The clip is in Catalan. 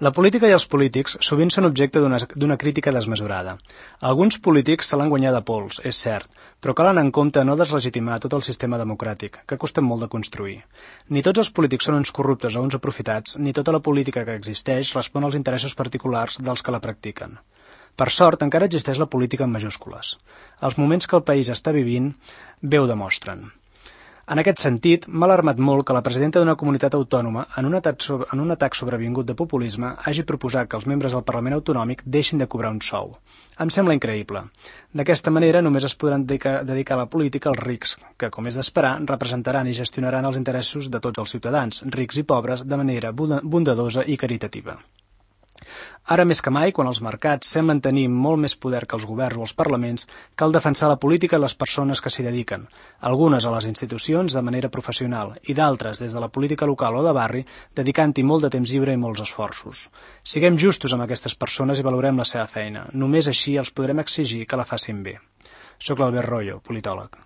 La política i els polítics sovint són objecte d'una crítica desmesurada. Alguns polítics se l'han guanyat a pols, és cert, però cal anar en compte no deslegitimar tot el sistema democràtic, que costa molt de construir. Ni tots els polítics són uns corruptes o uns aprofitats, ni tota la política que existeix respon als interessos particulars dels que la practiquen. Per sort, encara existeix la política en majúscules. Els moments que el país està vivint bé ho demostren. En aquest sentit, m'ha alarmat molt que la presidenta d'una comunitat autònoma, en un atac sobrevingut de populisme, hagi proposat que els membres del Parlament Autonòmic deixin de cobrar un sou. Em sembla increïble. D'aquesta manera només es podran dedicar a la política els rics, que, com és d'esperar, representaran i gestionaran els interessos de tots els ciutadans, rics i pobres, de manera bondadosa i caritativa. Ara més que mai, quan els mercats semblen tenir molt més poder que els governs o els parlaments, cal defensar la política i les persones que s'hi dediquen, algunes a les institucions de manera professional i d'altres des de la política local o de barri, dedicant-hi molt de temps lliure i molts esforços. Siguem justos amb aquestes persones i valorem la seva feina. Només així els podrem exigir que la facin bé. Soc l'Albert Royo, politòleg.